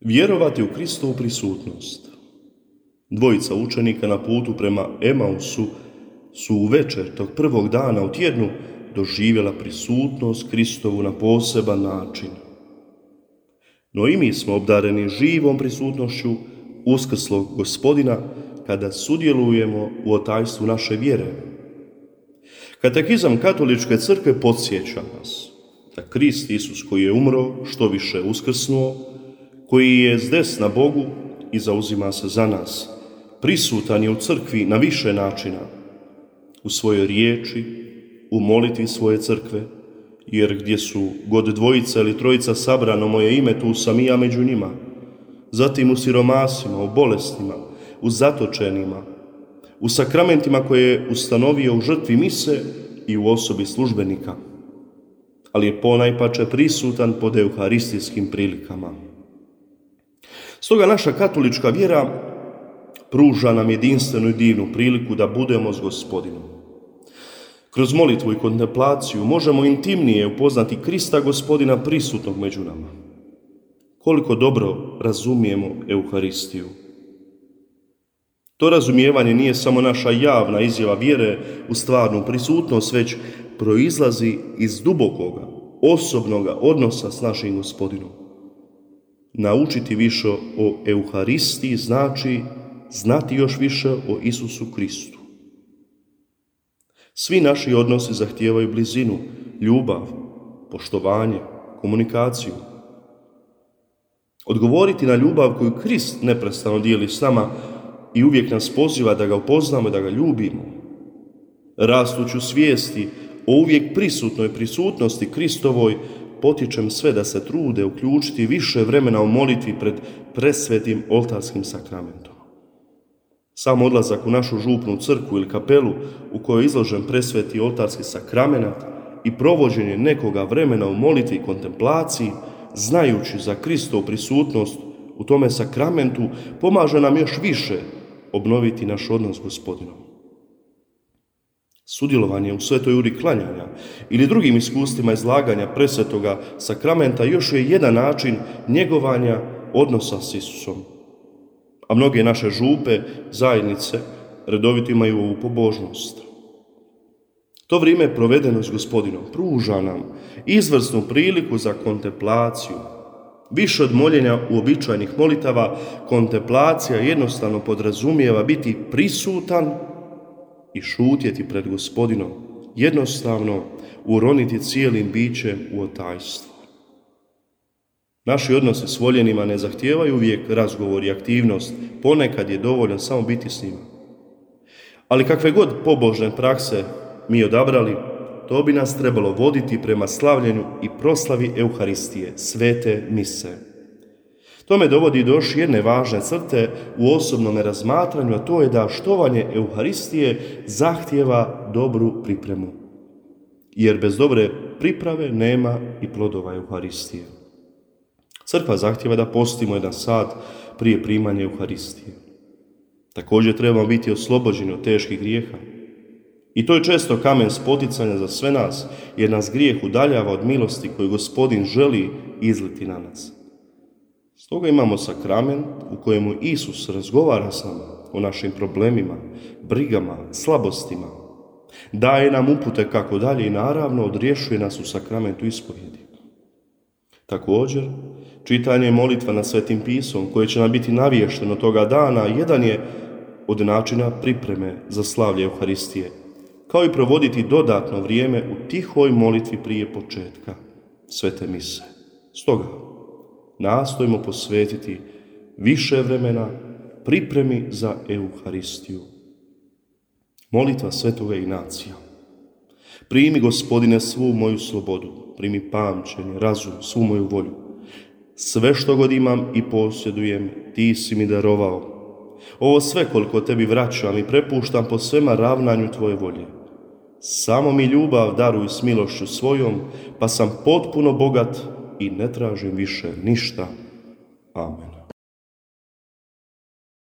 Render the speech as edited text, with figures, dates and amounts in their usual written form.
Vjerovati u Kristovu prisutnost. Dvojica učenika na putu prema Emausu su u večer tog prvog dana u tjednu doživjela prisutnost Kristovu na poseban način. No i mi smo obdareni živom prisutnošću uskrslog Gospodina kada sudjelujemo u otajstvu naše vjere. Katekizam Katoličke crkve podsjeća nas da Krist Isus koji je umro, što više uskrsnuo, koji je zdesna Bogu i zauzima se za nas, prisutan je u crkvi na više načina, u svojoj riječi, u molitvi svoje crkve, jer gdje su god dvojica ili trojica sabrano moje ime, tu sam i ja među njima, zatim u siromasima, u bolestima, u zatočenima, u sakramentima koje je ustanovio u žrtvi mise i u osobi službenika, ali je ponajpače prisutan pod euharistijskim prilikama. Stoga naša katolička vjera pruža nam jedinstvenu i divnu priliku da budemo s Gospodinom. Kroz molitvu i kontemplaciju možemo intimnije upoznati Krista Gospodina prisutnog među nama. Koliko dobro razumijemo Euharistiju. To razumijevanje nije samo naša javna izjava vjere u stvarnu prisutnost, već proizlazi iz dubokoga, osobnoga odnosa s našim Gospodinom. Naučiti više o Euharistiji znači znati još više o Isusu Kristu. Svi naši odnosi zahtijevaju blizinu, ljubav, poštovanje, komunikaciju. Odgovoriti na ljubav koju Krist neprestano dijeli s nama i uvijek nas poziva da ga upoznamo i da ga ljubimo. Rastuću svijesti o uvijek prisutnoj prisutnosti Kristovoj potičem sve da se trude uključiti više vremena u molitvi pred presvetim oltarskim sakramentom. Sam odlazak u našu župnu crkvu ili kapelu u kojoj je izložen presveti oltarski sakrament i provođenje nekoga vremena u molitvi i kontemplaciji, znajući za Kristovu prisutnost u tome sakramentu, pomaže nam još više obnoviti naš odnos s Gospodinom. Sudjelovanje u svetoj uri klanjanja ili drugim iskustvima izlaganja presvetoga sakramenta još je jedan način njegovanja odnosa s Isusom. A mnoge naše župe, zajednice, redovito imaju ovu pobožnost. To vrijeme provedeno s Gospodinom pruža nam izvrsnu priliku za kontemplaciju. Više od moljenja uobičajenih molitava, kontemplacija jednostavno podrazumijeva biti prisutan i šutjeti pred Gospodinom, jednostavno uroniti cijelim bićem u otajstvo. Naši odnosi s voljenima ne zahtijevaju uvijek razgovor i aktivnost, ponekad je dovoljno samo biti s njima. Ali kakve god pobožne prakse mi odabrali, to bi nas trebalo voditi prema slavljenju i proslavi Euharistije, svete mise. To me dovodi do još jedne važne crte u osobnom razmatranju, a to je da štovanje Euharistije zahtijeva dobru pripremu. Jer bez dobre priprave nema i plodova Euharistije. Crkva zahtijeva da postimo jedan sat prije primanja Euharistije. Također trebamo biti oslobođeni od teških grijeha. I to je često kamen spoticanja za sve nas, jer nas grijeh udaljava od milosti koju Gospodin želi izliti na nas. Stoga imamo sakrament u kojemu Isus razgovara s nama o našim problemima, brigama, slabostima. Daje nam upute kako dalje i naravno odrješuje nas u sakramentu ispovjedi. Također, čitanje molitva na Svetim pisom koje će nam biti naviješteno toga dana jedan je od načina pripreme za slavlje Euharistije, kao i provoditi dodatno vrijeme u tihoj molitvi prije početka svete mise. Stoga, nastojimo posvetiti više vremena pripremi za Euharistiju. Molitva svetoga Ignacija. Primi, Gospodine, svu moju slobodu, primi pamćenje, razum, svu moju volju. Sve što god imam i posjedujem, ti si mi darovao. Ovo sve koliko tebi vraćam i prepuštam po svema ravnanju tvoje volje. Samo mi ljubav daruj s milošću svojom, pa sam potpuno bogat i ne tražim više ništa. Amen.